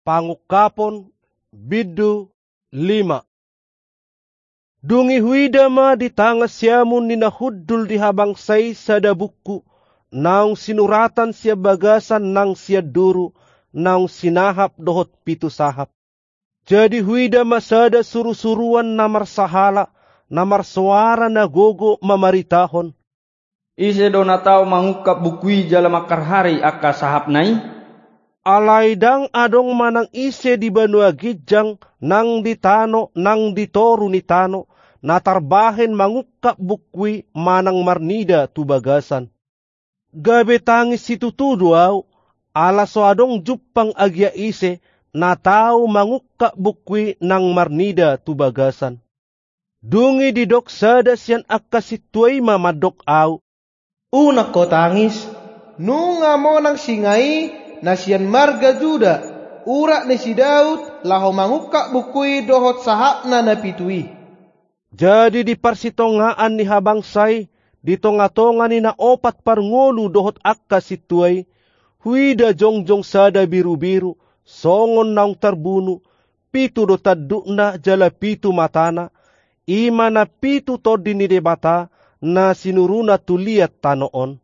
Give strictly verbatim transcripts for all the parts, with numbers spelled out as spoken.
Pangungkapon, bindu lima. Dung i huida ma di tangan siamun ni na hundul di habangsa i sada buku, naung sinuratan sian bagasan nang sian duru, naung sinahap dohot pitu sahap. Jadi huida ma sada surusuruan na marsahala, na marsoara na gogo mamaritahon: Ise do na tau mangungkap buku i jala mangharhari angka sahapna i? Alai ndang adong manang ise di banua ginjang, nang di tano, nang di toru ni tano, na tarbahen mangungkap buku i manang marnida tu bagasan. Gabe tangis situtu do ahu, ala so adong jumpang agia ise, na tau mangungkap buku i nang marnida tu bagasan. Dung i didok sada sian angka sintua i ma mandok ahu: Unang ho tangis, nunga monang singa i, na sian marga Juda, urat ni si Daud, laho mangungkap buku i dohot sahapna na pitu i. Jadi di parsitongaan ni habangsa i, di tongatonga ni na opat parngolu dohot angka sintua i, huida jongjong sada birubiru, songon naung tarbunu, pitu do tandukna jala pitu matana, i ma na pitu tondi ni Debata, na sinuruna tu liat tano on.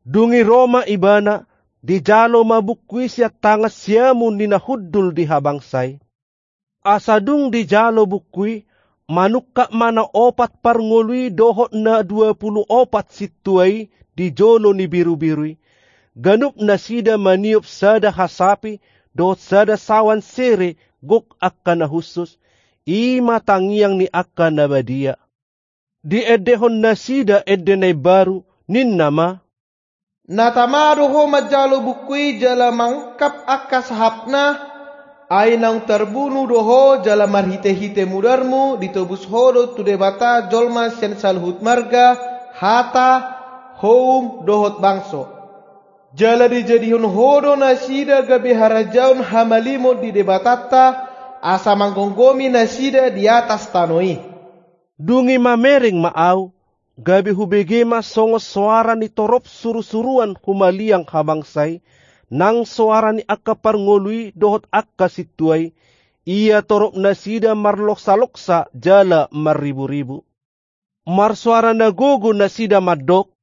Dung i ro ma ibana, dijalo ma buku i sian tangan siamun ni na hundul di habangsa i. Asa dung dijalo buku i, manungkap ma na opat parngolu i dohot na dua pulu opat sintua i di jolo ni birubiru i. Ganup nasida maniop sada hasapi dohot sada sawan sere gok angka na hushus, i ma tangiang ni angka na badia. Diendehon nasida ende na imbaru, ninna ma: Na tama do ho manjalo buku i jala mangungkap angka sahapna, ai naung tarbunu do ho jala marhitehite mudarmu ditobus ho do tu Debata jolma sian saluhut marga, hata, houm dohot bangso. Jala dijadihon ho do nasida gabe harajaon hamalimon di Debatanta, asa manggomgomi nasida di atas tano i. Dung i mamereng ma ahu, gabe hubege ma songon soara ni torop surusuruan humaliang habangsa i, nang soara ni angka parngolu i dohot angka sintua i, ia torop nasida marloksaloksa jala marriburibu. Marsoara na gogo nasida mandok: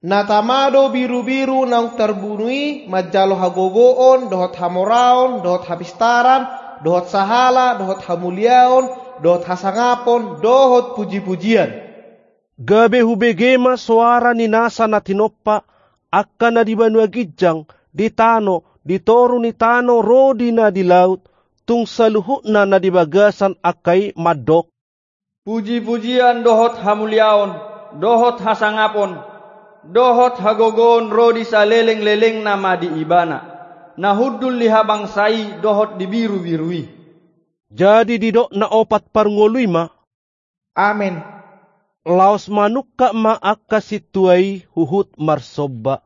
Na tama do birubiru naung tarbunu i manjalo hagogoon dohot hamoraon dohot hapistaran dohot sahala dohot hamuliaon dohot hasangapon dohot pujipujian. Gabe hubege ma soara ni nasa na tinompa, angka na di banua ginjang, di tano, di toru ni tano ro di na di laut, tung saluhutna na di bagasan angka i mandok: Pujipujian dohot hamuliaon, dohot hasangapon, dohot hagogoon ro di salelenglelengna ma di Ibana, na hundul di habangsa i dohot di birubiru i. Jadi didok na opat parngolu i ma: Amen. Laos manungkap ma angka sintua i huhut marsomba.